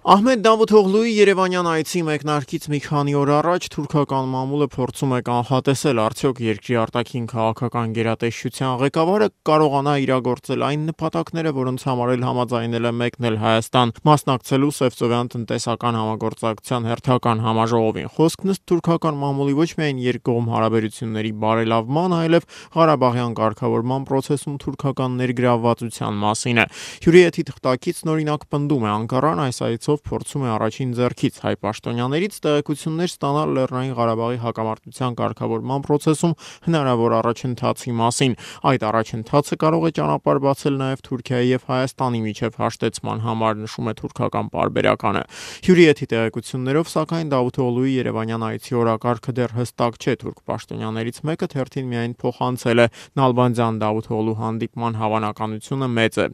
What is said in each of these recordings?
Ահմեդ Դավութօղլուի երևանյան այցի մեկնարկից մի քանի օր առաջ թուրքական մամուլը փորձում է կանխատեսել արդյոք երկրի արտաքին քաղաքական գերատեսչության ղեկավարը կարողանա իրագործել այն նպատակները, որոնց համար էլ համաձայնել է մեկնել Հայաստան, մասնակցելու Սևծովյան տնտեսական համագործակցության հերթական համաժողովին։ Խոսքն ըստ թուրքական մամուլի ոչ միայն երկկողմ հարաբերությունների բարելավման, այլև Ղարաբաղյան կարգավորման process-ում թուրքական ներգրավվածության մասին է։ Հյուրի հետ թղթակիցն օրինակ պնդում է Անկարան այս այցով փորձում է առաջին ձեռքից հայ պաշտոնյաներից տեղեկություններ ստանալ Լեռնային Ղարաբաղի հակամարտության կարգավորման process-ում հնարավոր առաջընթացի մասին։ Այդ առաջընթացը կարող է ճանապարհ բացել նաև Թուրքիայի եւ Հայաստանի միջև հաշտեցման համար, նշում է թուրքական պարբերականը։ Հյուրի հետ տեղեկություններով, սակայն Դավութօղլուի երևանյան այցի օրակարգը դեռ հստակ չէ։ Թուրք պաշտոնյաներից մեկը թերթին միայն փոխանցել է Նալբանդյան Դավութօղլու հանդիպման հավանականությունը մեծ է։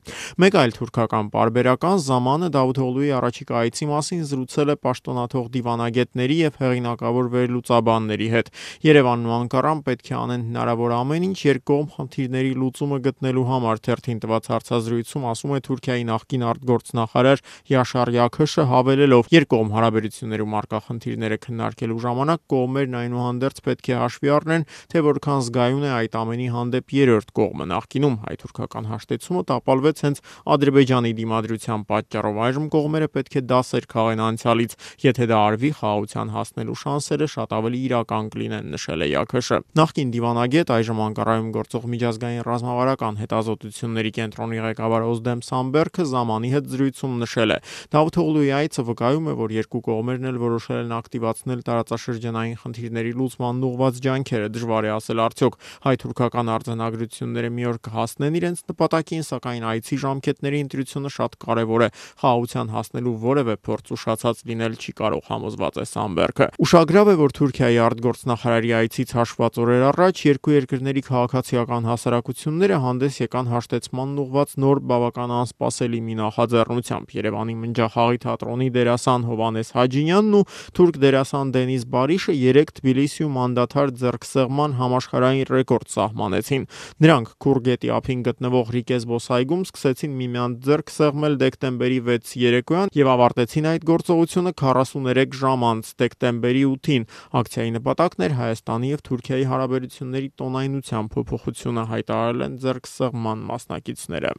Մեկ այլ թուրքական պարբերական Զամանը Դավութօղլուի առաջիկա այցի մասին զրուցել է պաշտոնաթող դիվանագետների եւ հեղինակավոր վերլուծաբանների հետ։ Երևանն ու Անկարան պետք է անեն հնարավոր ամեն ինչ երկկողմ խնդիրների լուծումը գտնելու համար, թերթին տված հարցազրույցում ասում է Թուրքիայի նախկին արտգործնախարար Յաշար Յաքշը, հավելելով. երկկողմ հարաբերություններում առկա խնդիրները քննարկելու ժամանակ կողմերն այնուհանդերձ պետք է հաշվի առնեն, թե որքան զգայուն է այդ ամենի հանդեպ երրորդ կողմը։ Նախկինում հայ-թուրքական հաշտեցումը տապալվեց հենց Ադրբեջանի դիմադրության պատճառով, այժմ կողմերը պետք է դասեր քաղեն անցյալից, եթե դա արվի, խաղաղության հասնելու շանսերը շատ ավելի իրական կլինեն, նշել է Յաքշը։ Նախկին դիվանագետ, այժմ Անկարայում գործող միջազգային ռազմավարական հետազոտությունների կենտրոնի ղեկավար Օզդեմ Սամբերգը Զամանի հետ զրույցում նշել է. Դավութօղլուի այցը վկայում է, որ երկու կողմերն էլ որոշել են ակտիվացնել տարածաշրջանային խնդիրների լուծմանն ուղղված ջանքերը։ Դժվար է ասել արդյոք հայ-թուրքական արձանագրությունները մի օր կհասնեն իրենց նպատակին, սակայն այցի ժամկետների ընտրությունը շատ կարևոր է։ Խաղաղության հասնելու որևէ փորձ ուշացած լինել չի կարող, համոզված է Սամբերգը։ Ուշագրավ է, որ Թուրքիայի արտգործնախարարի այցից հաշված օրեր առաջ երկու երկրների քաղաքացիական հասարակությունները հանդես եկան հաշտեցմանն ուղղված նոր բավական անսպասելի մի նախաձեռնությամբ։ Երևանի Մնջախաղի թատրոնի դերասան Հովհաննես Հաջինյանն ու թուրք դերասան Դենիզ Բարիշը երեկ Թբիլիսիում անդադար ձեռքսեղման համաշխարհային ռեկորդ սահմանեցին։ Նրանք Քուր գետի ափին գտնվող Ռիկե զբոսայգում սկսեցին միմյանց ձեռք սեղմել դեկտեմբերի 6-ի երեկոյան եւ ավարտեցին այդ գործողությունը 43 ժամ անց դեկտեմբերի 8-ին։ Ակցիայի նպատակն էր Հայաստանի եւ Թուրքիայի հարաբերությունների տոնայնության փոփոխությունը, հայտարարել են ձեռքսեղման մասնակիցները։